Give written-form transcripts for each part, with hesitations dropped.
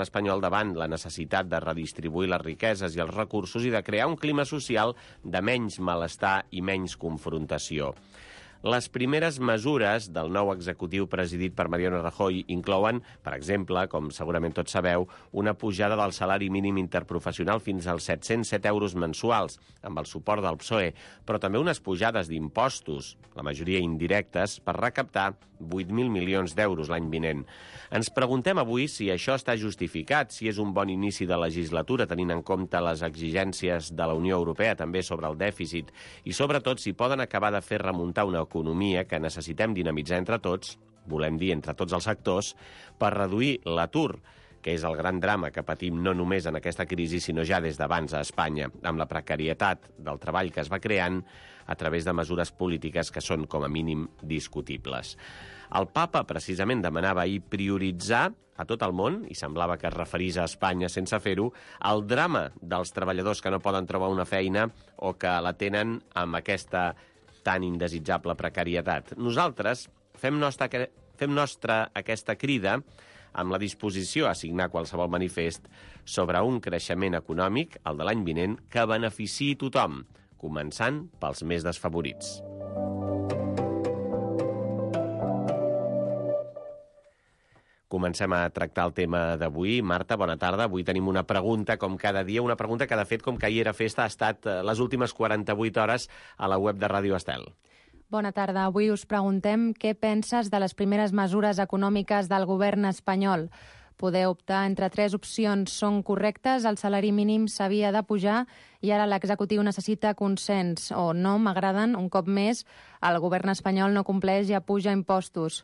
espanyol davant la necessitat de redistribuir les riqueses i els recursos i de crear un clima social de menys malestar i menys confrontació. Les primeres mesures del nou executiu presidit per Mariano Rajoy inclouen, per exemple, com segurament tots sabeu, una pujada del salari mínim interprofessional fins als 707 euros mensuals, amb el suport del PSOE, però també unes pujades d'impostos, la majoria indirectes, per recaptar 8.000 milions d'euros l'any vinent. Ens preguntem avui si això està justificat, si és un bon inici de legislatura, tenint en compte les exigències de la Unió Europea també sobre el dèficit, i sobretot si poden acabar de fer remuntar una economia que necessitem dinamitzar entre tots, volem dir entre tots els sectors, per reduir l'atur, que és el gran drama que patim no només en aquesta crisi, sinó ja des d'abans a Espanya, amb la precarietat del treball que es va creant a través de mesures polítiques que són, com a mínim, discutibles. El papa, precisament, demanava ahir prioritzar a tot el món, i semblava que es referís a Espanya sense fer-ho, el drama dels treballadors que no poden trobar una feina o que la tenen amb aquesta tan indesitjable precarietat. Nosaltres fem nostra aquesta crida amb la disposició a signar qualsevol manifest sobre un creixement econòmic, el de l'any vinent, que beneficiï tothom, començant pels més desfavorits. Comencem a tractar el tema d'avui. Marta, bona tarda. Avui tenim una pregunta, com cada dia, una pregunta que, de fet, com que ahir era festa, ha estat les últimes 48 hores a la web de Ràdio Estel. Bona tarda. Avui us preguntem què penses de les primeres mesures econòmiques del govern espanyol. Podeu optar entre 3 opcions. Són correctes, el salari mínim s'havia de pujar i ara l'executiu necessita consens. O no, m'agraden, un cop més, el govern espanyol no compleix i apuja impostos.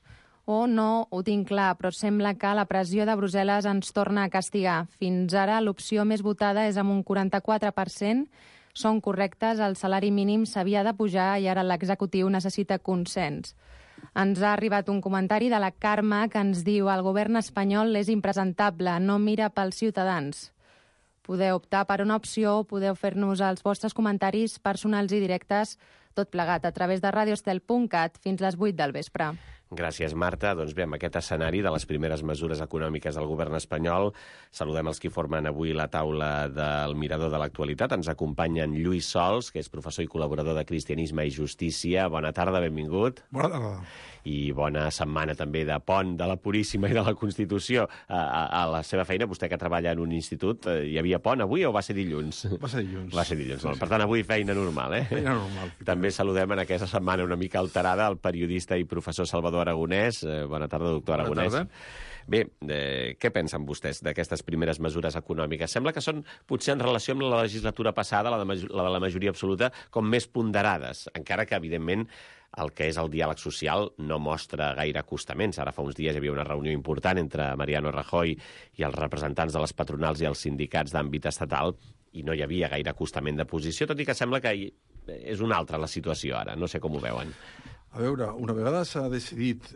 O no, ho tinc clar, però sembla que la pressió de Brussel·les ens torna a castigar. Fins ara l'opció més votada és amb un 44%. Són correctes, el salari mínim s'havia de pujar i ara l'executiu necessita consens. Ens ha arribat un comentari de la Carme que ens diu el govern espanyol és impresentable, no mira pels ciutadans. Podeu optar per una opció o podeu fer-nos els vostres comentaris personals i directes, tot plegat a través de radioestel.cat fins les 8 del vespre. Gràcies, Marta. Doncs bé, amb aquest escenari de les primeres mesures econòmiques del govern espanyol, saludem els que formen avui la taula del Mirador de l'Actualitat. Ens acompanyen Lluís Sols, que és professor i col·laborador de Cristianisme i Justícia. Bona tarda, benvingut. Bona tarda. I bona setmana també de pont de la Puríssima i de la Constitució. A la seva feina, vostè que treballa en un institut, hi havia pont avui o va ser dilluns? Va ser dilluns. Va ser dilluns. Sí, sí. Per tant, avui feina normal, eh? Feina normal. També saludem en aquesta setmana una mica alterada el periodista i professor Salvador Aragonès. Bona tarda, doctor Aragonès. Bona tarda. Bé, què pensen vostès d'aquestes primeres mesures econòmiques? Sembla que són, potser en relació amb la legislatura passada, la de la majoria absoluta, com més ponderades, encara que, evidentment, el que és el diàleg social no mostra gaire acostaments. Ara fa uns dies hi havia una reunió important entre Mariano Rajoy i els representants de les patronals i els sindicats d'àmbit estatal i no hi havia gaire acostament de posició, tot i que sembla que és una altra la situació ara. No sé com ho veuen. A veure, una vegada s'ha decidit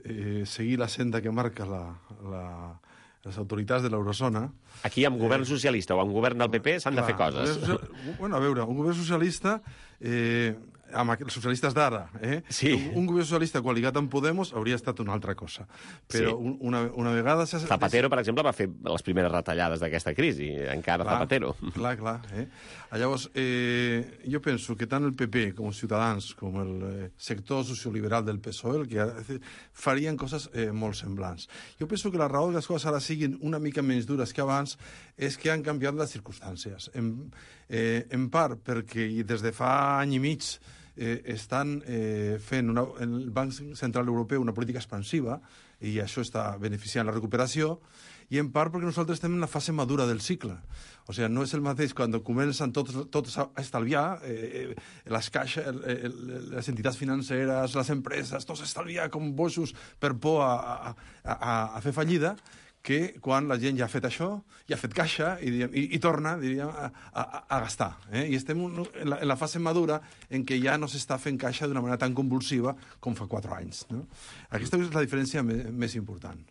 seguir la senda que marca les autoritats de l'eurozona... Aquí amb govern socialista o amb govern del PP s'han de fer coses. Bueno, a veure, un govern socialista... amb els socialistes d'ara, Sí. Un govern socialista coaligat amb Podemos hauria estat una altra cosa. Però Sí. una vegada... Zapatero, per exemple, va fer les primeres retallades d'aquesta crisi, encara Zapatero. Clar. Llavors, jo penso que tant el PP com Ciutadans, com el sector socioliberal del PSOE, farien coses molt semblants. Jo penso que la raó que les coses ara siguin una mica menys dures que abans és que han canviat les circumstàncies. En part perquè des de fa any i mig estan fent el Banc Central Europeu una política expansiva i això està beneficiant la recuperació, i en part perquè nosaltres estem en la fase madura del cicle. O sigui, no és el mateix quan comencen tots a estalviar, les caixes, les entitats financeres, les empreses, tots a estalviar com bojos per por a fer fallida, que quan la gent ja ha fet això, ja ha fet caixa i torna, diríem, a gastar. I estem en la fase madura en què ja no s'està fent caixa d'una manera tan convulsiva com fa 4 anys. No? Aquesta és la diferència més important.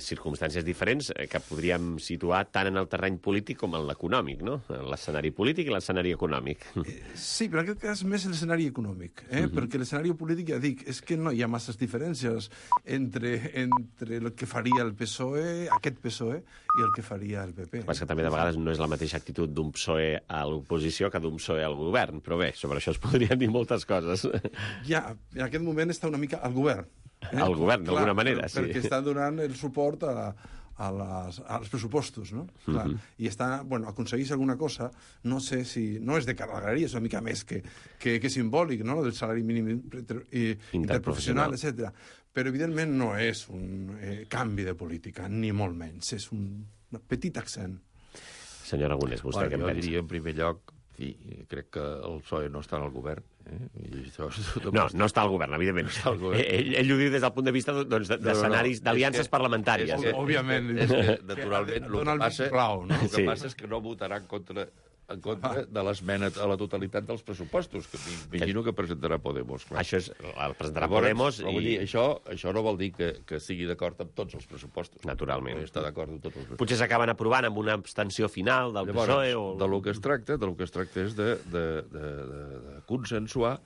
Circumstàncies diferents que podríem situar tant en el terreny polític com en l'econòmic, no? L'escenari polític i l'escenari econòmic. Sí, però en aquest cas més l'escenari econòmic, perquè l'escenari polític, ja dic, és que no hi ha masses diferències entre el que faria el PSOE, aquest PSOE, i el que faria el PP. Però és que també de vegades no és la mateixa actitud d'un PSOE a l'oposició que d'un PSOE al govern, però bé, sobre això es podrien dir moltes coses. Ja, en aquest moment està una mica al govern. Al govern, d'alguna manera, sí. Perquè està donant el suport als pressupostos, no? Clar. I aconsegueix alguna cosa, no sé si... No és de carregaria, és una mica més que simbòlic, no?, del salari mínim interprofessional, etc. Però, evidentment, no és un canvi de política, ni molt menys. És un petit accent. Senyor Aragonès, vostè què en pensa? Jo diria, en primer lloc, crec que el PSOE no està en el govern. No està al govern, evidentment. Ell ho diu des del punt de vista d'escenaris, d'aliances parlamentàries. Òbviament. Naturalment, el que passa és que no votarà en contra de l'esmena a la totalitat dels pressupostos, que m'imagino que presentarà Podemos. Això és, el presentarà Podemos i... Això no vol dir que estigui d'acord amb tots els pressupostos. Naturalment. No està d'acord amb tots els pressupostos. Potser s'acaben aprovant amb una abstenció final del PSOE o... De lo que es tracta és de consensuar,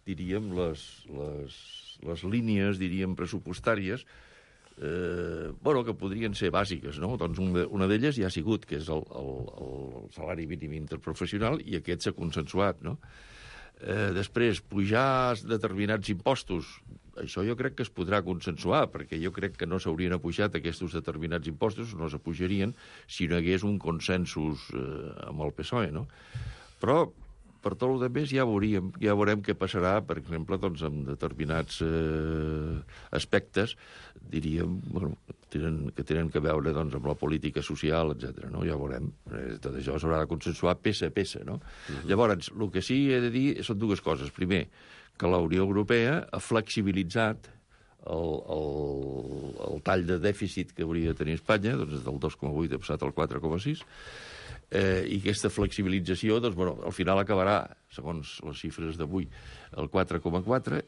diríem, les línies, diríem, pressupostàries que podrien ser bàsiques, no? Doncs una d'elles ja ha sigut, que és el salari mínim interprofessional, i aquest s'ha consensuat, no? Després, pujar determinats impostos, això jo crec que es podrà consensuar, perquè jo crec que no s'haurien apujat aquests determinats impostos, no s'apujarien si no hi hagués un consensus amb el PSOE, no? Però per tot el més ja veurem què passarà, per exemple, doncs, amb determinats aspectes, diríem, que tenen a veure doncs, amb la política social, etc. No? Ja veurem. Tot això s'haurà de consensuar peça a peça. No? Llavors, el que sí he de dir són dues coses. Primer, que la Unió Europea ha flexibilitzat el tall de dèficit que hauria de tenir Espanya, doncs del 2,8 ha passat al 4,6, i aquesta flexibilització, doncs, al final acabarà, segons les xifres d'avui, el 4,4,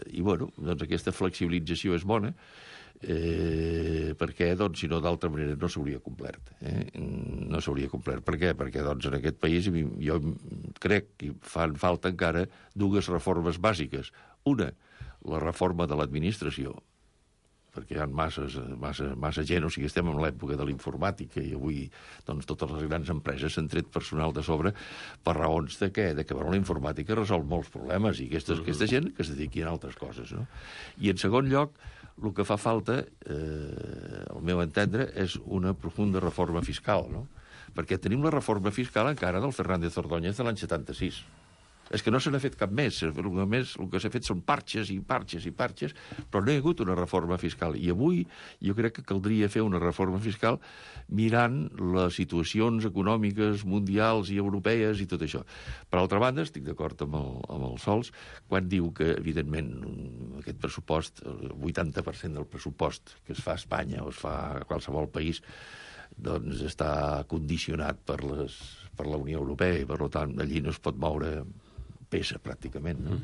i, doncs aquesta flexibilització és bona, perquè, doncs, si no, d'altra manera no s'hauria complert. No s'hauria complert. Per què? Perquè, doncs, en aquest país jo crec que fan falta encara dues reformes bàsiques. Una, la reforma de l'administració, perquè hi ha massa gent, o sigui, estem en l'època de l'informàtica i avui doncs, totes les grans empreses s'han tret personal de sobre per raons de què? De que la informàtica resol molts problemes i aquesta gent que es dediqui a altres coses. No? I en segon lloc, el que fa falta, al meu entendre, és una profunda reforma fiscal, no? Perquè tenim la reforma fiscal encara del Fernández Ordóñez de l'any 76. És que no se n'ha fet cap més. El que s'ha fet són parxes i parxes i parxes, però no hi ha hagut una reforma fiscal. I avui jo crec que caldria fer una reforma fiscal mirant les situacions econòmiques mundials i europees i tot això. Per altra banda, estic d'acord amb el Sols, quan diu que, evidentment, aquest pressupost, el 80% del pressupost que es fa a Espanya o es fa a qualsevol país, doncs està condicionat per la Unió Europea i, per tant, allí no es pot moure peça, pràcticament. No?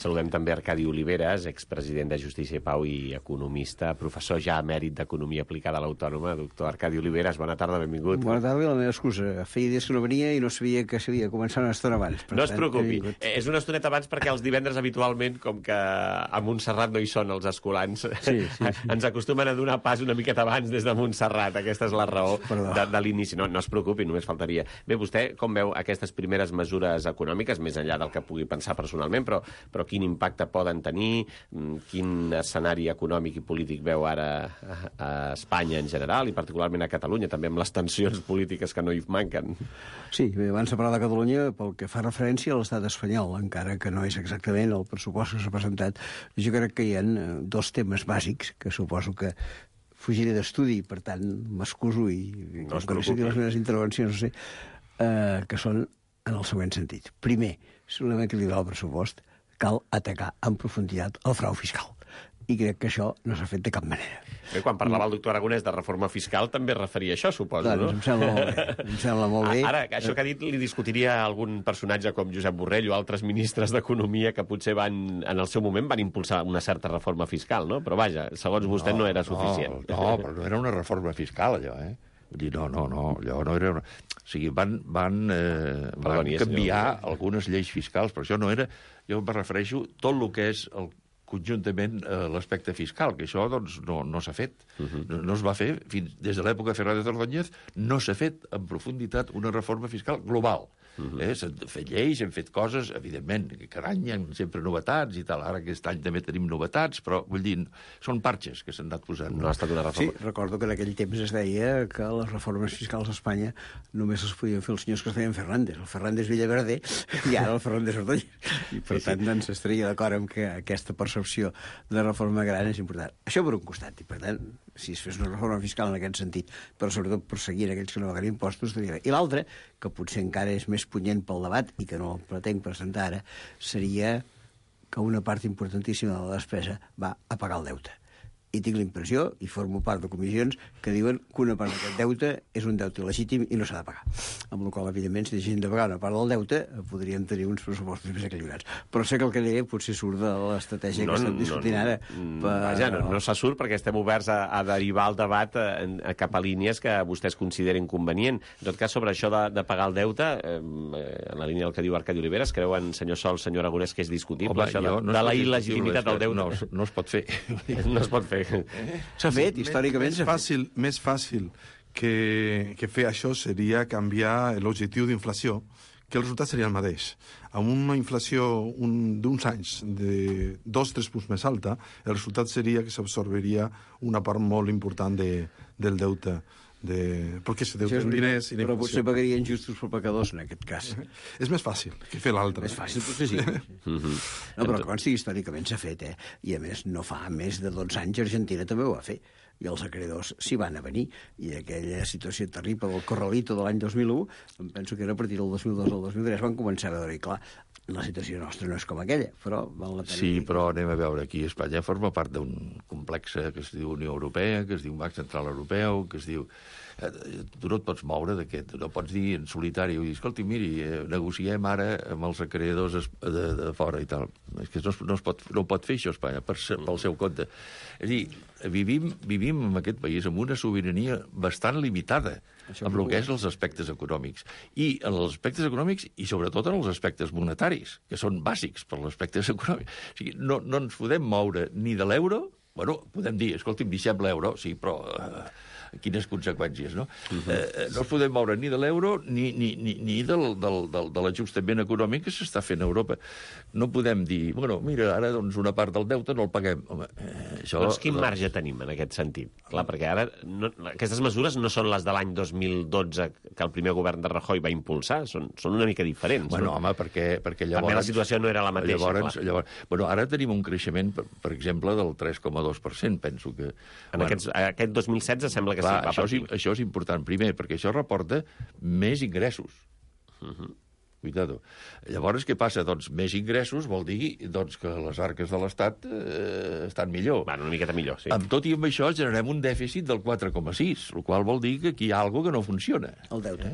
Saludem també Arcadi Oliveres, expresident de Justícia i Pau i economista, professor ja emèrit d'Economia Aplicada a l'Autònoma. Doctor Arcadi Oliveres, bona tarda, benvingut. Bona tarda, la meva excusa. Feia dies que no venia i no sabia que s'havia començat una estona abans. No es preocupi. És una estoneta abans perquè els divendres habitualment, com que a Montserrat no hi són els escolans, ens acostumen a donar pas una miqueta abans des de Montserrat. Aquesta és la raó de l'inici. No es preocupi, només faltaria. Bé, vostè com veu aquestes primeres mesures econòmiques, més enllà del que pugui pensar personalment, però quin impacte poden tenir, quin escenari econòmic i polític veu ara a Espanya en general i particularment a Catalunya, també amb les tensions polítiques que no hi manquen? Sí, abans de parlar de Catalunya, pel que fa referència a l'estat espanyol, encara que no és exactament el pressupost que s'ha presentat, jo crec que hi ha dos temes bàsics que suposo que fugiré d'estudi, per tant, m'excuso i no es les meves intervencions, no sé, que són en el següent sentit. Primer, si volem equilibrar el pressupost, cal atacar en profunditat el frau fiscal. i crec que això no s'ha fet de cap manera. Bé, quan parlava el doctor Aragonès de reforma fiscal també es referia a això, suposo, doncs no? em sembla molt bé. Em sembla molt bé. Ara, això que ha dit li discutiria algun personatge com Josep Borrell o altres ministres d'Economia que potser en el seu moment van impulsar una certa reforma fiscal, no? Però vaja, segons vostè no era suficient. No, però no era una reforma fiscal, allò, eh? Vull dir, no, allò no era... O sigui, van canviar algunes lleis fiscals, però això no era... Jo em refereixo tot el que és conjuntament l'aspecte fiscal, que això doncs, no s'ha fet. No es va fer, des de l'època de Fernández Ordóñez, no s'ha fet en profunditat una reforma fiscal global. S'han fet lleis, hem fet coses, evidentment, que cada any hi ha sempre novetats i tal. Ara aquest any també tenim novetats, però vull dir, són parxes que s'han anat posant. No ha estat una reforma. Sí, recordo que en aquell temps es deia que les reformes fiscals a Espanya només les podien fer els senyors que es deien Fernández, el Fernández Villaverde i ara el Fernández Ordóñez. I per tant, doncs, estaria d'acord amb que aquesta percepció de reforma gran és important. Això per un costat, i per tant, si es fes una reforma fiscal en aquest sentit, però sobretot perseguint aquells que no paguen impostos, estaria bé. I l'altre, que potser encara és més punyent pel debat i que no el pretenc presentar ara, seria que una part importantíssima de la despesa va a pagar el deute. I tinc la impressió, i formo part de comissions, que diuen que una part d'aquest deute és un deute il·legítim i no s'ha de pagar. Amb la qual, evidentment, si deixessin de pagar una part del deute, podríem tenir uns pressupostos més equilibrats. Però sé que el que deia potser surt de l'estratègia que estem discutint ara. Vaja, no se surt perquè estem oberts a derivar el debat cap a línies que vostès consideren convenient. En tot cas, sobre això de pagar el deute, en la línia del que diu Arcadi Oliveres, creuen, senyor Sol, senyor Aragonès, que és discutible, això de la il·legitimitat del deute? No es pot fer. No es pot fer. S'ha fet, històricament s'ha fet. Més fàcil que fer això seria canviar l'objectiu d'inflació, que el resultat seria el mateix. Amb una inflació d'uns anys de 2-3 punts més alta, el resultat seria que s'absorberia una part molt important del deute. Perquè se deute en diners i però potser pagarien justos per pecadors en aquest cas. És més fàcil que fer l'altre. És fàcil, potser sí. No, però consti, històricament s'ha fet, I a més, no fa més de 12 anys Argentina també ho va fer. I els acreedors s'hi van a venir. I aquella situació terrible del Corralito de l'any 2001, em penso que era a partir del 2002 al 2003, van començar a veure, i clar, la situació nostra no és com aquella, però val la pena. Sí, però anem a veure, aquí Espanya forma part d'un complex que es diu Unió Europea, que es diu Banc Central Europeu, que es diu... Tu no et pots moure d'aquest, no pots dir en solitari, dir, escolti, miri, negociem ara amb els acreedors de fora i tal. És que no pot fer això Espanya pel seu compte. És a dir, vivim en aquest país amb una sobirania bastant limitada amb el que és els aspectes econòmics. I en els aspectes econòmics, i sobretot en els aspectes monetaris, que són bàsics per als aspectes econòmics. O sigui, no ens podem moure ni de l'euro, bueno, podem dir, escolti'm, deixem l'euro, sí, però... quines conseqüències, no? No es podem moure ni de l'euro ni de l'ajustament econòmic que s'està fent a Europa. No podem dir, bueno, mira, ara doncs una part del deute no el paguem. Home, això... Doncs quin marge tenim en aquest sentit? Clar, perquè ara aquestes mesures no són les de l'any 2012 que el primer govern de Rajoy va impulsar, són una mica diferents. Bueno, no? Home, perquè llavors... També la situació no era la mateixa, llavors, bueno, ara tenim un creixement, per exemple, del 3,2%, penso que... Aquest 2016 sembla que clar, això és important, primer, perquè això reporta més ingressos. Cuidado. Llavors, què passa? Doncs més ingressos vol dir doncs, que les arques de l'Estat estan millor. Una miqueta millor, sí. Amb tot i amb això generem un dèficit del 4,6, el qual vol dir que aquí hi ha alguna que no funciona. El deute.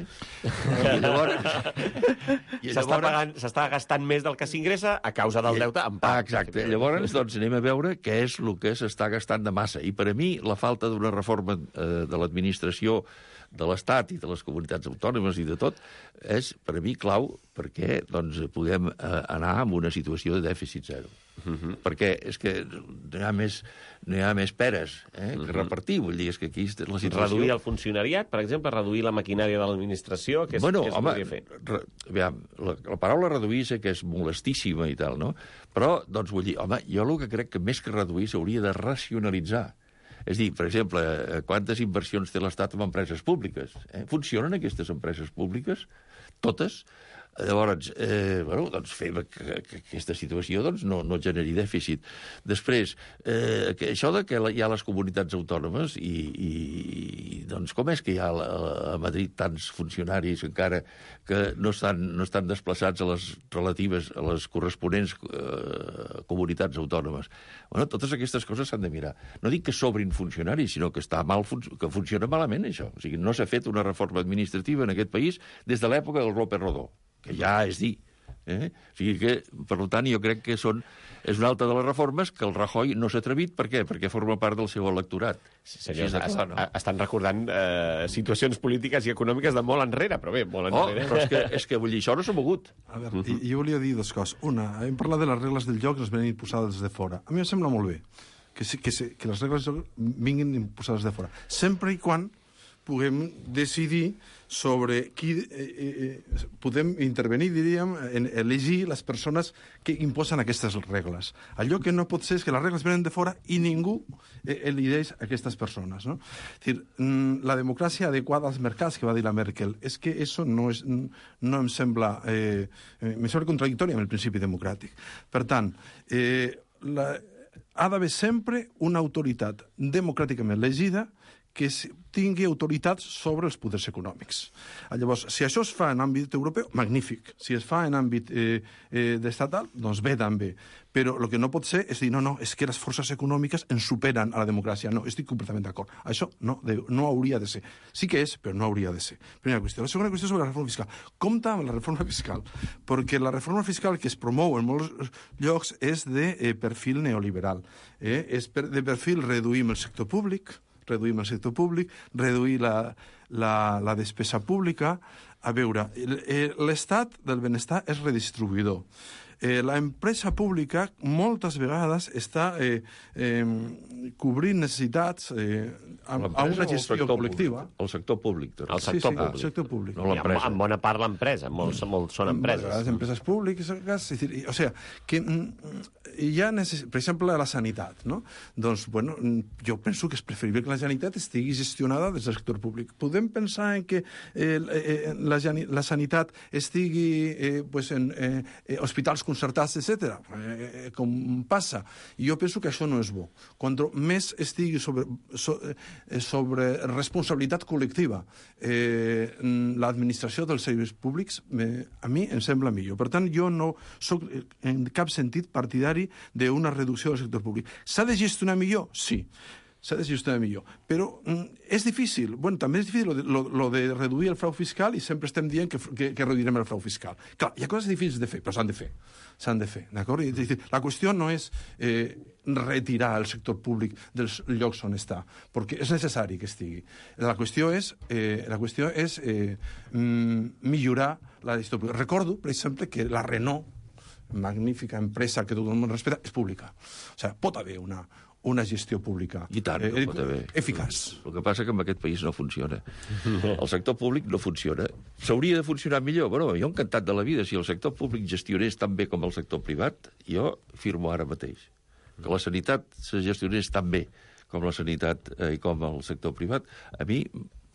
S'està gastant més del que s'ingressa a causa del deute en part. Exacte. Llavors, doncs, anem a veure què és el que s'està gastant de massa. I per a mi, la falta d'una reforma de l'administració de l'Estat i de les comunitats autònomes i de tot, és, per a mi, clau perquè doncs, puguem anar en una situació de dèficit zero. Perquè és que no hi ha més peres que repartir. Vull dir, és que aquí la situació... Reduir el funcionariat, per exemple, reduir la maquinària de l'administració, què es podria fer? Aviam, la paraula reduir sé que és molestíssima i tal, no? Però, doncs, vull dir, home, jo el que crec que més que reduir s'hauria de racionalitzar. És a dir, per exemple, quantes inversions té l'Estat en empreses públiques? Funcionen aquestes empreses públiques? Totes? Llavors, doncs fem que aquesta situació doncs, no generi dèficit. Després, això de que hi ha les comunitats autònomes i doncs com és que hi ha a Madrid tants funcionaris encara que no estan desplaçats a les relatives, a les corresponents comunitats autònomes? Bueno, totes aquestes coses s'han de mirar. No dic que sobrin funcionaris, sinó que que funciona malament, això. O sigui, no s'ha fet una reforma administrativa en aquest país des de l'època del López Rodó, que ja és dir. O sigui que, per tant, jo crec que és una altra de les reformes que el Rajoy no s'ha atrevit. Per què? Perquè forma part del seu electorat. Sí, senyors, estan recordant situacions polítiques i econòmiques de molt enrere, però bé, molt enrere. Però és que vull dir, això no s'ha mogut. A veure, jo volia dir dues coses. Una, hem parlat de les regles del joc que ens venen imposades des de fora. A mi em sembla molt bé que les regles del joc vinguin imposades de fora, sempre i quan puguem decidir sobre qui podem intervenir, diríem, en elegir les persones que imposen aquestes regles. Allò que no pot ser és que les regles venen de fora i ningú elegeix aquestes persones, no? És dir, la democràcia adequada als mercats, que va dir la Merkel, és que això no em sembla contradictori amb el principi democràtic. Per tant, ha d'haver sempre una autoritat democràticament elegida que tingui autoritat sobre els poders econòmics. Llavors, si això es fa en àmbit europeu, magnífic. Si es fa en àmbit estatal, doncs bé també. Però el que no pot ser és dir, no, és que les forces econòmiques ens superen a la democràcia. No, estic completament d'acord. Això no hauria de ser. Sí que és, però no hauria de ser. Primera qüestió. La segona qüestió sobre la reforma fiscal. Compte amb la reforma fiscal, perquè la reforma fiscal que es promou en molts llocs és de perfil neoliberal. És de perfil reduïm el sector públic, reduir la despesa pública. A veure, l'estat del benestar és redistribuïdor. La empresa pública moltes vegades està cobrint necessitats a una gestió col·lectiva. El sector públic. El sector públic. No l'empresa. En bona part l'empresa, molts són empreses. Les empreses públiques, o sigui, que hi ha, per exemple, la sanitat, no? Doncs, bueno, jo penso que és preferible que la sanitat estigui gestionada des del sector públic. Podem pensar en que la sanitat estigui en hospitals concertats, etc., com passa. I jo penso que això no és bo. Quan més estigui sobre responsabilitat col·lectiva l'administració dels serveis públics, a mi em sembla millor. Per tant, jo no soc en cap sentit partidari d'una reducció del sector públic. S'ha de gestionar millor? Sí. S'ha de gestionar millor. Però és difícil. Bueno, també és difícil lo de reduir el frau fiscal i sempre estem dient que reduirem el frau fiscal. Clar, hi ha coses difícils de fer, però s'han de fer. S'han de fer, d'acord? La qüestió no és retirar el sector públic dels llocs on està, perquè és necessari que estigui. La qüestió és millorar la gestió pública. Recordo, per exemple, que la Renault, magnífica empresa que tothom respecta, és pública. O sigui, pot haver una gestió pública i tant, pot haver. Eficaç. El que passa que en aquest país no funciona. El sector públic no funciona. S'hauria de funcionar millor. Bueno, jo encantat de la vida. Si el sector públic gestionés tan bé com el sector privat, jo firmo ara mateix. Que la sanitat se gestionés tan bé com la sanitat i com el sector privat, a mi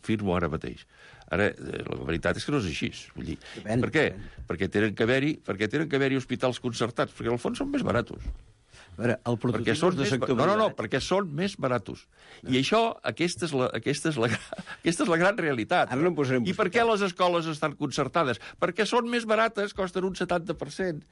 firmo ara mateix. Ara, la veritat és que no és així. Vull dir, per què? Perquè tenen que haver-hi hospitals concertats, perquè al fons són més baratos. Veure, el prototip de sector privat... No, perquè són més baratos. I això, aquesta és la gran realitat. Ara no em posarem... I per què les escoles estan concertades? Perquè són més barates, costen un 70%.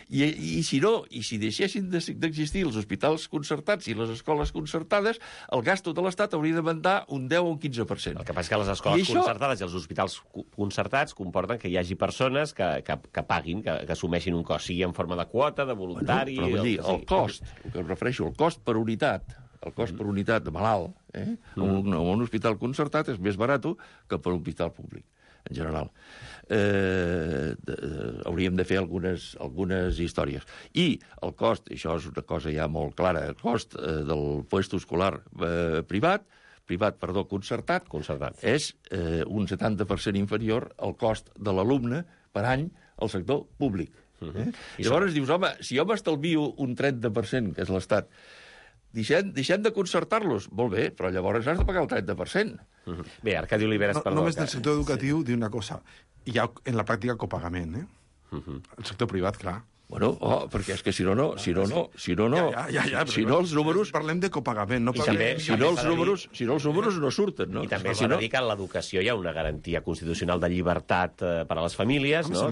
I si deixessin d'existir els hospitals concertats i les escoles concertades, el gasto de l'Estat hauria de mandar un 10 o un 15%. El que passa és que les escoles concertades i els hospitals concertats comporten que hi hagi persones que paguin, que assumeixin un cost, sigui en forma de quota, de voluntari... Però vull dir, el cost, el que em refereixo, el cost per unitat, de malalt, en un hospital concertat és més barat que per un hospital públic, en general. Hauríem de fer algunes històries. I el cost, això és una cosa ja molt clara, el cost del puesto escolar concertat, és un 70% inferior al cost de l'alumne per any al sector públic. I llavors dius, home, si jo m'estalvio un 30%, que és l'Estat, deixem de concertar-los. Molt bé, però llavors has de pagar el 30%. Bé, Arcadi Oliveres, perdó. Només del sector educatiu, dir una cosa. Hi ha en la pràctica copagament, El sector privat, clar. Bueno, perquè és que si no, els números... Parlem de copagament, no parlem... Si no, els números no surten, no? I també s'ha de dir que en l'educació hi ha una garantia constitucional de llibertat per a les famílies, no? A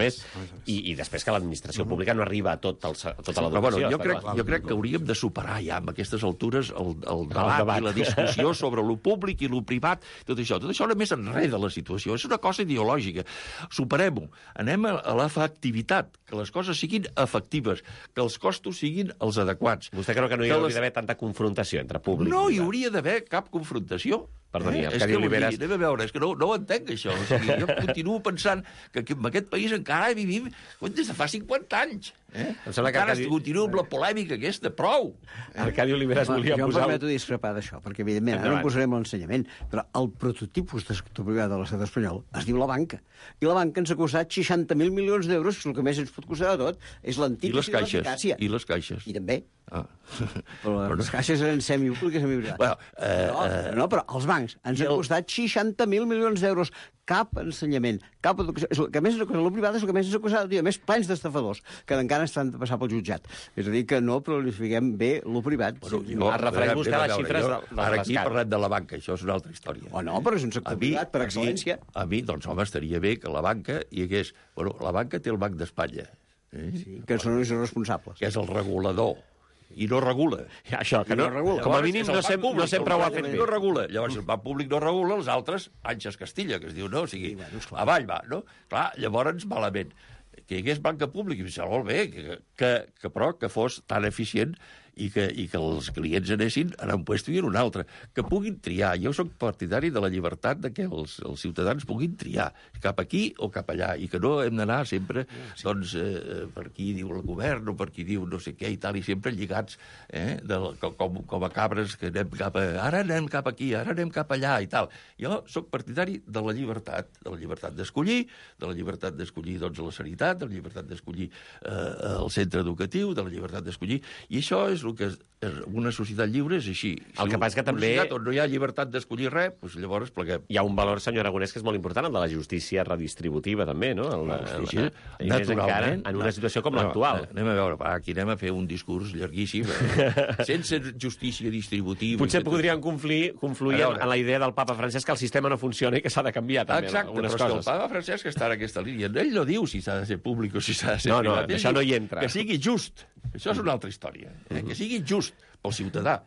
més. I després que l'administració pública no arriba a tota l'educació. Jo crec que hauríem de superar ja, amb aquestes altures, el debat i la discussió sobre lo públic i lo privat, tot això. Tot això només enreda la situació. És una cosa ideològica. Superem-ho. Anem a l'efectivitat, que les coses siguin efectives, que els costos siguin els adequats. Vostè creu que no hi hauria d'haver tanta confrontació entre públic? No hi hauria d'haver cap confrontació. Perdoni, Arcadi Oliveres... Anem a veure, és que no ho entenc, això. O sigui, jo continuo pensant que en aquest país encara vivim des de fa 50 anys. Encara continuo amb la polèmica aquesta, prou. Arcadi Oliveres volia posar... Jo em permeto discrepar d'això, perquè evidentment ara no posarem l'ensenyament, però el prototipus de sector privat de l'estat espanyol es diu la banca. I la banca ens ha costat 60.000 milions d'euros, que és el que més ens pot costar de tot, és l'antic i l'eficàcia. I les caixes. I també. Però les caixes eren semipúbliques i semiprivades. No, però els bancs ens han costat 60.000 milions d'euros. Cap ensenyament, cap educació. El que més ens ha costat el privat és el que més ens ha costat, a més, plens d'estafadors, que encara estan de passar pel jutjat. És a dir, que no prolifiquem bé el privat. Es refereix vostè a les xifres del rescat. Ara aquí parlem de la banca, això és una altra història. No, però és un sector privat, per excel·lència. A mi, doncs, home, estaria bé que la banca hi hagués... Bueno, la banca té el Banc d'Espanya. Sí, que són els responsables. Que és el regulador. I no regula. Això, que no regula. Com a mínim no sempre ho ha fet bé. No regula. Llavors, el banc públic no regula, els altres, Àngels Castilla, que es diu, no? O sigui, avall va, no? Clar, llavors, malament. Que hi hagués banca pública, i molt bé, però que fos tan eficient i que els clients anessin a un lloc i a un altre, que puguin triar. Jo soc partidari de la llibertat de que els ciutadans puguin triar cap aquí o cap allà, i que no hem d'anar sempre doncs, per qui diu el govern o per qui diu no sé què i tal, i sempre lligats com a cabres que anem ara anem cap aquí, ara anem cap allà i tal. Jo soc partidari de la llibertat d'escollir, de la llibertat d'escollir doncs, la sanitat, de la llibertat d'escollir el centre educatiu, de la llibertat d'escollir, i això és el que una societat lliure és així. El que passa que també... Una societat on no hi ha llibertat d'escollir res, doncs llavors pleguem. Hi ha un valor, senyor Aragonès, que és molt important, el de la justícia redistributiva, també, no? I més encara en una situació com l'actual. Anem a veure, aquí anem a fer un discurs llarguíssim. Sense justícia distributiva... Potser podrien confluir en la idea del papa Francesc que el sistema no funciona i que s'ha de canviar, també, algunes coses. Exacte, però el papa Francesc està en aquesta línia. Ell no diu si s'ha de ser públic o si s'ha de ser privat. No, això no hi entra. Que sigui just. Això és una altra història. Que sigui just pel ciutadà.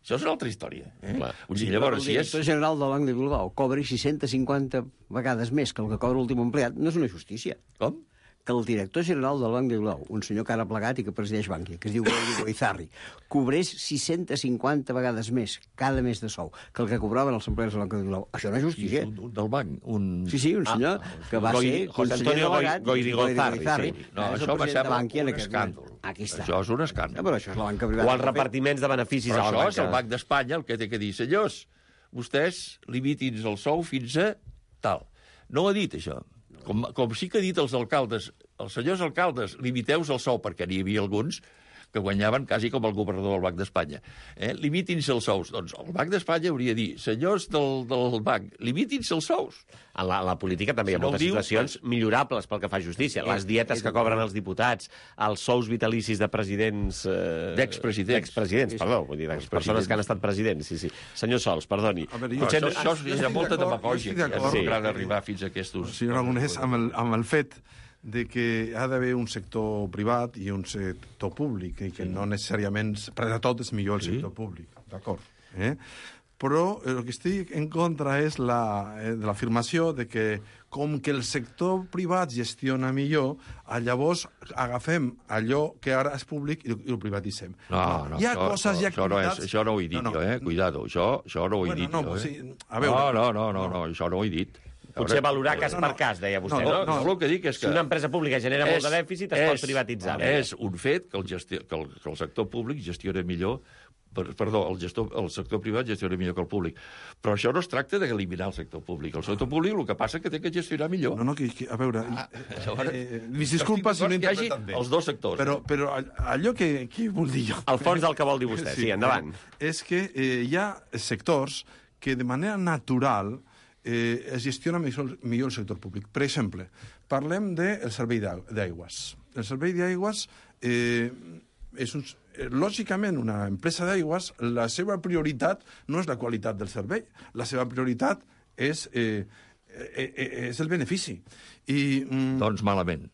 Això és una altra història. Llavors, si el director general del Banc de Bilbao cobri 650 vegades més que el que cobra l'últim empleat, no és una justícia. Com? Que el director general del Banc de Bilbao, un senyor que ara ha plegat i que presideix Bankia, que es diu Goizarri, cobrés 650 vegades més cada mes de sou que el que cobraven els empleats del Banc de Bilbao. Això no és justícia. Del banc? Sí, un senyor que va ser conseller delegat Goizarri. No, això va ser un escàndol. Això és un escàndol. Però això és la banca privada. O els repartiments de beneficis a la banca. Però això és el Banc d'Espanya el que té que dir. Senyors, vostès limitin el sou fins a tal. No ho ha dit, això. Com sí que ha dit els alcaldes, els senyors alcaldes, limiteu-vos el sou, perquè n'hi havia alguns que guanyaven quasi com el governador del Banc d'Espanya. Limitin-se els sous. Doncs el Banc d'Espanya hauria de dir, senyors del banc, limitin-se els sous. En la política també hi ha moltes situacions millorables pel que fa a justícia. Les dietes que cobren els diputats, els sous vitalicis de presidents... D'expresidents, perdó, vull dir, de persones que han estat presidents, sí. Senyor Sols, perdoni. Això és molta demagògia, que han d'arribar fins a aquests... Senyor Aragonès, amb el fet de que ha d'haver un sector privat i un sector públic, i que no necessàriament, per a tot és millor el sector públic, d'acord? Però el que estic en contra és de l'afirmació de que com que el sector privat gestiona millor, llavors agafem allò que ara és públic i ho privatitzem. No, hi ha coses i activitats... Això no ho he dit jo, cuidado, això no ho he dit jo. No, això no ho he dit. Potser valorar cas per cas, deia vostè, no? No, el que dic és que... Si una empresa pública genera molt de dèficit, es pot privatitzar. És un fet que el sector públic gestiona millor... Perdó, el sector privat gestiona millor que el públic. Però això no es tracta d'eliminar el sector públic. El sector públic el que passa és que té que gestionar millor. No, a veure... Disculpa si no he interpretat bé. Els dos sectors. Però allò que vull dir jo... El fons del que vol dir vostè, sí, endavant. És que hi ha sectors que de manera natural es gestiona millor el sector públic. Per exemple, parlem del servei d'aigües. El servei d'aigües és lògicament, una empresa d'aigües, la seva prioritat no és la qualitat del servei, la seva prioritat és el benefici. Doncs malament.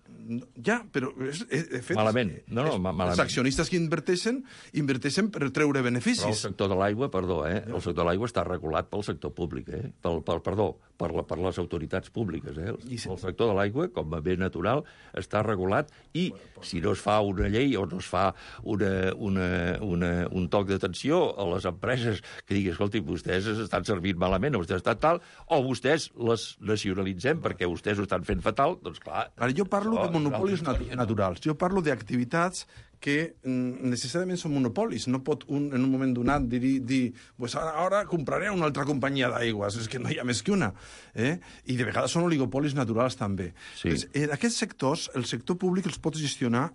Ja, però de fet... Malament. Malament. Els accionistes que inverteixen per treure beneficis. Però el sector de l'aigua, el sector de l'aigua està regulat pel sector públic, per les autoritats públiques. El sector de l'aigua, com a bé natural, està regulat i si no es fa una llei o no es fa un toc d'atenció a les empreses que digui, escolti, vostès estan servint malament, o vostès estan tal, o vostès les nacionalitzem perquè vostès ho estan fent fatal, doncs clar... Ara, jo parlo de monopolis naturals. Jo parlo d'activitats que necessàriament són monopolis. No pot en un moment donat dir pues ara compraré una altra companyia d'aigües. És que no hi ha més que una. I de vegades són oligopolis naturals també. Sí. En aquests sectors, el sector públic els pot gestionar,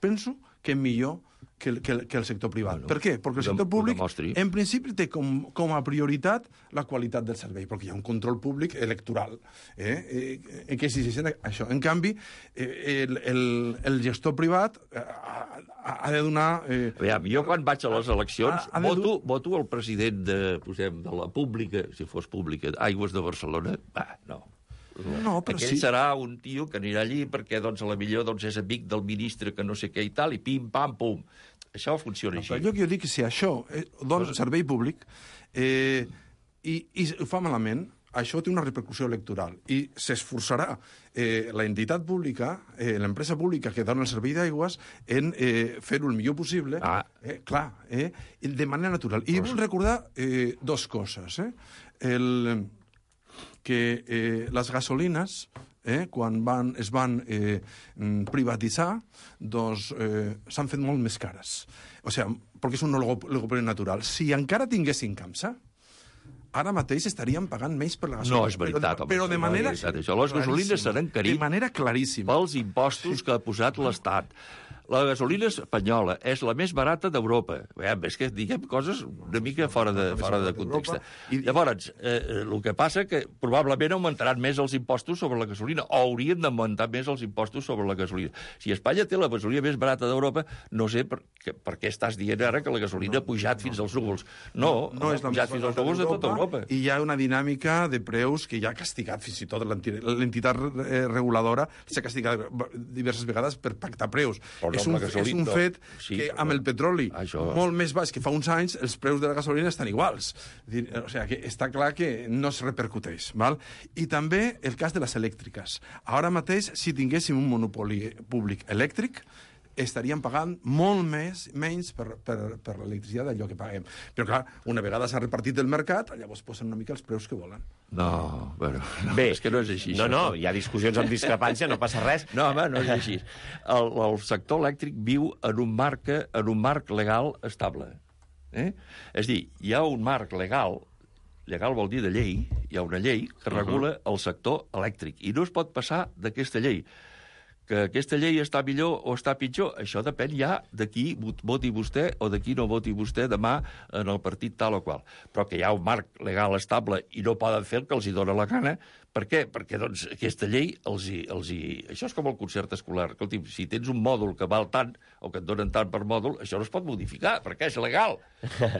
penso, que millor que el sector privat. Bueno, per què? Perquè el sector públic, en principi, té com a prioritat la qualitat del servei, perquè hi ha un control públic electoral que exigeixen això. En canvi, el gestor privat ha de donar... Aviam, jo quan vaig a les eleccions voto el president de la pública, si fos pública, Aigües de Barcelona? No. No, però aquell serà un tio que anirà allí perquè doncs, a la millor és amic del ministre que no sé què i tal, i pim, pam, pum. Això funciona així. Però allò que jo dic que si això dona servei públic i ho fa malament, això té una repercussió electoral i s'esforçarà la entitat pública, l'empresa pública que dona el servei d'aigües en fer-ho el millor possible, de manera natural. I vull recordar dues coses. Que les gasolines, quan es van privatitzar, doncs s'han fet molt més cares. O sigui, perquè és un oligopoli natural. Si encara tinguessin Camsa, ara mateix estaríem pagant menys per la gasolina. No, és veritat, home. Però de manera... Les gasolines s'han encarit de manera claríssima. Pels impostos que ha posat l'Estat. La gasolina espanyola és la més barata d'Europa. És que diguem coses una mica fora de context. Llavors, el que passa que probablement augmentaran més els impostos sobre la gasolina, o haurien d'augmentar més els impostos sobre la gasolina. Si Espanya té la gasolina més barata d'Europa, no sé per què estàs dient ara que la gasolina ha pujat fins als núvols. No és la pujat fins als núvols de tota Europa. I hi ha una dinàmica de preus que ja ha castigat fins i tot l'entitat reguladora, s'ha castigat diverses vegades per pactar preus. És un fet que amb el petroli molt més baix que fa uns anys, els preus de la gasolina estan iguals. O sigui, que està clar que no es repercuteix. Val? I també el cas de les elèctriques. Ara mateix, si tinguéssim un monopoli públic elèctric, estaríem pagant molt menys per l'electricitat d'allò que paguem. Però, clar, una vegada s'ha repartit el mercat, llavors posen una mica els preus que volen. No, bé, és que no és així. No, hi ha discussions amb discrepància, no passa res. No, home, no és així. El sector elèctric viu en un marc legal estable. És a dir, hi ha un marc legal vol dir de llei, hi ha una llei que regula el sector elèctric, i no es pot passar d'aquesta llei. Que aquesta llei està millor o està pitjor, això depèn ja de qui voti vostè o de qui no voti vostè demà en el partit tal o qual. Però que hi ha un marc legal estable i no poden fer el que els hi dóna la gana. Per què? Perquè doncs, aquesta llei Això és com el concert escolar. Escolti, si tens un mòdul que val tant o que et donen tant per mòdul, això no es pot modificar, perquè és legal.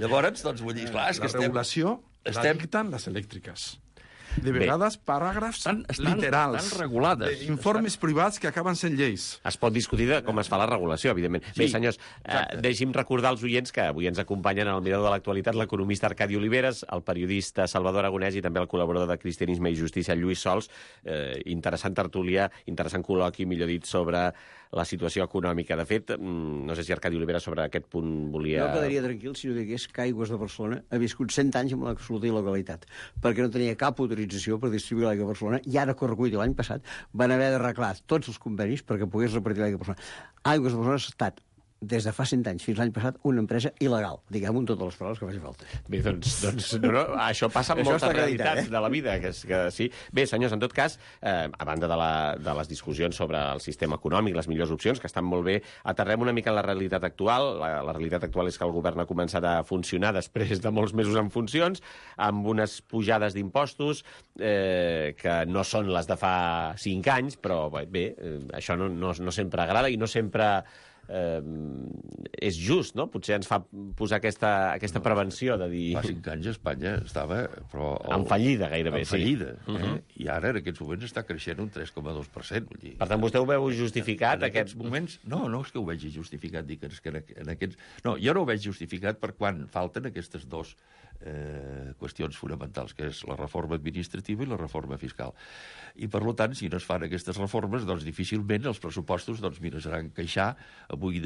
Llavors, doncs, vull dir, clar, és que la regulació la dicten les elèctriques. De vegades, paràgrafs literals, regulades, informes privats que acaben sent lleis. Es pot discutir de com es fa la regulació, evidentment. Sí, bé, senyors, deixi'm recordar als oients que avui ens acompanyen en el Mirador de l'Actualitat l'economista Arcadi Oliveres, el periodista Salvador Aragonès i també el col·laborador de Cristianisme i Justícia, Lluís Sols. Interessant tertúlia, interessant col·loqui, millor dit, sobre la situació econòmica. De fet, no sé si Arcadi Oliveres sobre aquest punt volia... Jo quedaria tranquil si no digués que Aigües de Barcelona ha viscut 100 anys amb l'absoluta il·legalitat, perquè no tenia cap autorització per distribuir l'aigua a Barcelona, i ara corregut l'any passat van haver d'arreglar tots els convenis perquè pogués repartir l'aigua a Barcelona. Aigües de Barcelona ha estat des de fa 100 anys fins l'any passat, una empresa il·legal, diguem-ho amb totes les paraules que faci falta. Bé, doncs no, això passa en moltes realitats de la vida, que sí. Bé, senyors, en tot cas, a banda de les discussions sobre el sistema econòmic, les millors opcions, que estan molt bé, aterrem una mica en la realitat actual. La realitat actual és que el govern ha començat a funcionar després de molts mesos en funcions, amb unes pujades d'impostos que no són les de fa 5 anys, però bé, això no sempre agrada i no sempre és just, no? Potser ens fa posar aquesta prevenció de dir... Fa 5 anys Espanya estava... En fallida, gairebé, sí. En fallida. I ara, en aquests moments, està creixent un 3,2%. Vull dir, per tant, vostè ho veu justificat? En aquests moments... No és que ho vegi justificat. Dic que en aquests... No, jo no ho veig justificat per quan falten aquestes dues qüestions fonamentals, que és la reforma administrativa i la reforma fiscal. I, per tant, si no es fan aquestes reformes, doncs difícilment els pressupostos, doncs mira, seran queixar, avui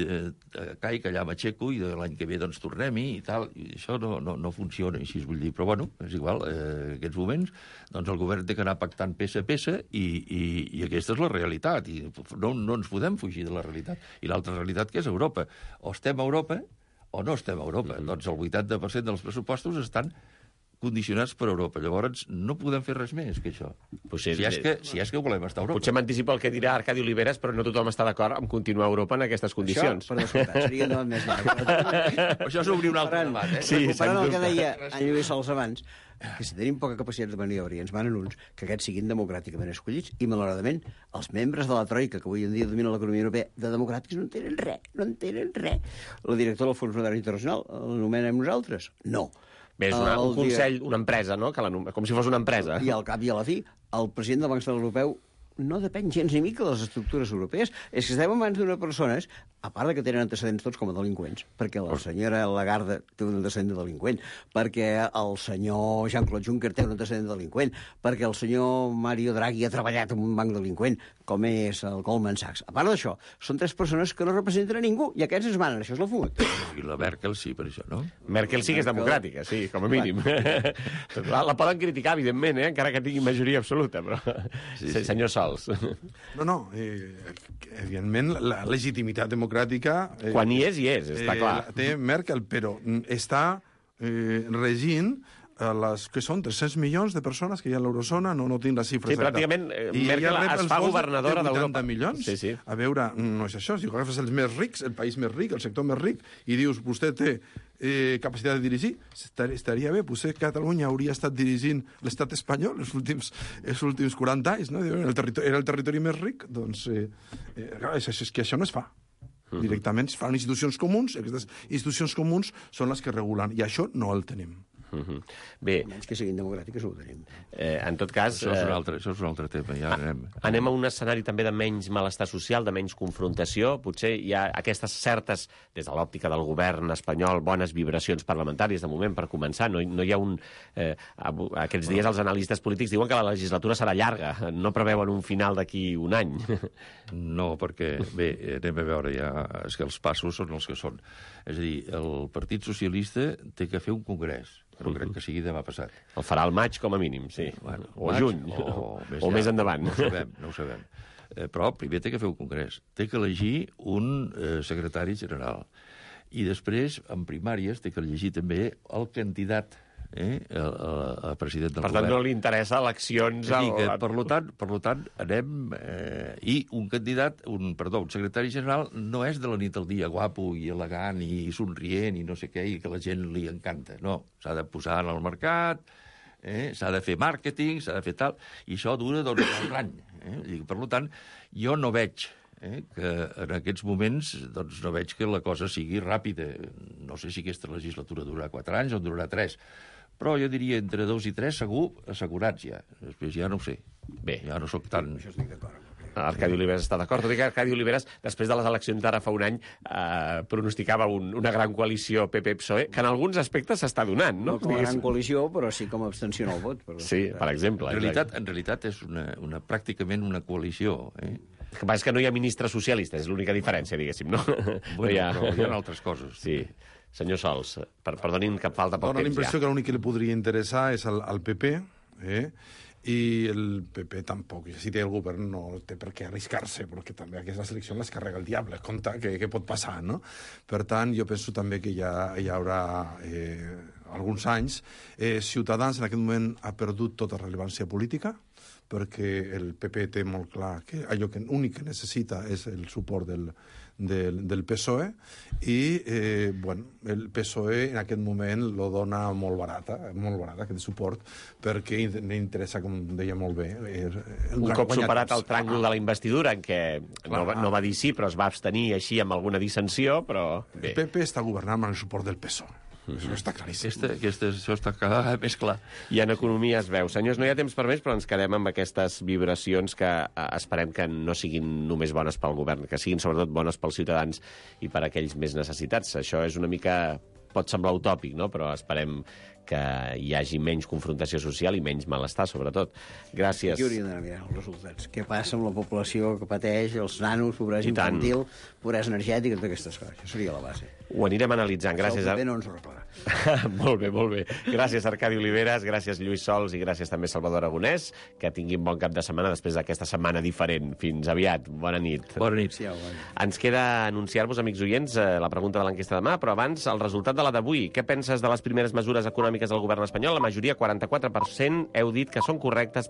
caic, allà m'aixeco, i l'any que ve doncs tornem-hi i tal. I això no funciona així, vull dir. Però, bueno, és igual. En aquests moments, doncs el govern té que anar pactant peça a peça i aquesta és la realitat. I no ens podem fugir de la realitat. I l'altra realitat, que és Europa. O estem a Europa o no estem a Europa. Doncs el 80% dels pressupostos estan condicionats per Europa. Llavors, no podem fer res més que això. Si és que volem estar a Europa. Potser m'anticipo el que dirà Arcadi Oliveres, però no tothom està d'acord amb continuar a Europa en aquestes condicions. Això, per descomptat, seria un debat més llarg. Això s'obri un altre debat, Sí, recuperant el que deia en Lluís Sols abans, que si tenim poca capacitat de maniobra i ens manen uns, que aquests siguin democràticament escollits, i malauradament els membres de la Troika, que avui en dia dominen l'economia europea, de democràtics no en tenen res, no en tenen res. La directora del Fons Monetari Internacional l'anomenem nosaltres? No. Bé, és un consell, una empresa, no? Com si fos una empresa. I al cap i a la fi, el president del Banc Central Europeu no depèn gens ni mica de les estructures europees. És que estem en mans d'una persones, a part que tenen antecedents tots com a delinqüents, perquè la senyora Lagarde té un antecedent de delinqüent, perquè el senyor Jean-Claude Juncker té un antecedent de delinqüent, perquè el senyor Mario Draghi ha treballat en un banc delinqüent, com és el Goldman Sachs. A part d'això, són 3 persones que no representen a ningú, i aquests es manen. Això és la fumet. I la Merkel sí, per això, no? Merkel sí que és democràtica, sí, com a mínim. La poden criticar, evidentment, encara que tingui majoria absoluta, però... Senyor Sols. No, evidentment, la legitimitat democràtica... Quan hi és, està clar. Té Merkel, però està regint que són 300 milions de persones que hi ha a l'eurozona, no tinc la xifra exacta. Sí, pràcticament Merkel es fa governadora d'Europa. 80 milions? Sí. A veure, no és això. Si agafes els més rics, el país més ric, el sector més ric, i dius, vostè té capacitat de dirigir, estaria bé. Potser Catalunya hauria estat dirigint l'estat espanyol els últims 40 anys, no? Era el territori més ric. Doncs és que això no es fa. Directament es fan institucions comuns, aquestes institucions comuns són les que regulen, i això no el tenim. Bé, menys que siguin democràtiques, no ho tenim. En tot cas... Això és un altre tema. Ja anem a un escenari també de menys malestar social, de menys confrontació. Potser hi ha aquestes certes, des de l'òptica del govern espanyol, bones vibracions parlamentàries, de moment, per començar. No hi ha un... Aquests dies els analistes polítics diuen que la legislatura serà llarga. No preveuen un final d'aquí un any. No, perquè, bé, anem a veure ja, és que els passos són els que són. És a dir, el Partit Socialista té que fer un congrés, però crec que sigui demà passat. El farà al maig, com a mínim, sí. Bueno, o a juny, o més endavant. No ho sabem. Però primer té que fer un congrés. Té que elegir un secretari general. I després, en primàries, té que elegir també el candidat a president del govern. Per tant, no li interessa eleccions... Per tant, anem... I un candidat, un secretari general no és de la nit al dia guapo i elegant i somrient i no sé què, i que la gent li encanta. No, s'ha de posar en el mercat, s'ha de fer màrqueting, s'ha de fer tal, i això dura un any. Per tant, jo no veig que en aquests moments no veig que la cosa sigui ràpida. No sé si aquesta legislatura durarà 4 anys o durarà 3, però jo diria entre 2 i 3 segur, assegurats ja. Després ja no ho sé. Bé, ja no soc tan... Això estic d'acord. Arcadi Oliveres està d'acord. Tot i que Arcadi Oliveres, després de les eleccions d'ara fa un any, pronosticava una gran coalició PP-PSOE, que en alguns aspectes s'està donant, no? No com a gran coalició, però sí com a abstenció en el vot. Sí, per exemple. En realitat és pràcticament una coalició. El que passa és que no hi ha ministre socialista, és l'única diferència, diguéssim, no? Bueno, però hi ha altres coses. Sí. Senyor Sols, perdonin que falta poc temps ja. Dóna la impressió que l'únic que li podria interessar és al PP, i el PP tampoc. I si té el govern no té per què arriscar-se, perquè també aquesta elecció les carrega el diable. Compte, què pot passar, no? Per tant, jo penso també que hi haurà alguns anys. Ciutadans en aquest moment ha perdut tota rellevància política, perquè el PP té molt clar que allò que únic que necessita és el suport del PSOE i el PSOE en aquest moment lo dona molt barata aquest suport, perquè interessa, com deia molt bé, un cop superat el tràngol de la investidura, en què no va dir sí, però es va abstenir així amb alguna dissensió, però bé. El PP està governant amb el suport del PSOE. Això està claríssim. Això està cada vegada més clar. I en economia es veu. Senyors, no hi ha temps per més, però ens quedem amb aquestes vibracions que esperem que no siguin només bones pel govern, que siguin sobretot bones pels ciutadans i per a aquells més necessitats. Això és una mica... pot semblar utòpic, no? Però esperem que hi hagi menys confrontació social i menys malestar, sobretot. Gràcies. Aquí hauríem d'anar mirant els resultats. Què passa amb la població que pateix, els nanos, pobresa infantil, pobresa energètica, totes aquestes coses. Això seria la base. Ho anirem analitzant. Gràcies. El PP no ens ho arreglarà. Molt bé, molt bé. Gràcies, Arcadi Oliveres, gràcies, Lluís Sols, i gràcies també, Salvador Aragonès. Que tinguin bon cap de setmana després d'aquesta setmana diferent. Fins aviat. Bona nit. Bona nit. Sí, Ens queda anunciar-vos, amics oients, la pregunta de l'enquesta demà, però abans el resultat de la d'avui. Què penses de les primeres mesures econòmiques del govern espanyol? La majoria, 44%, heu dit que són correctes,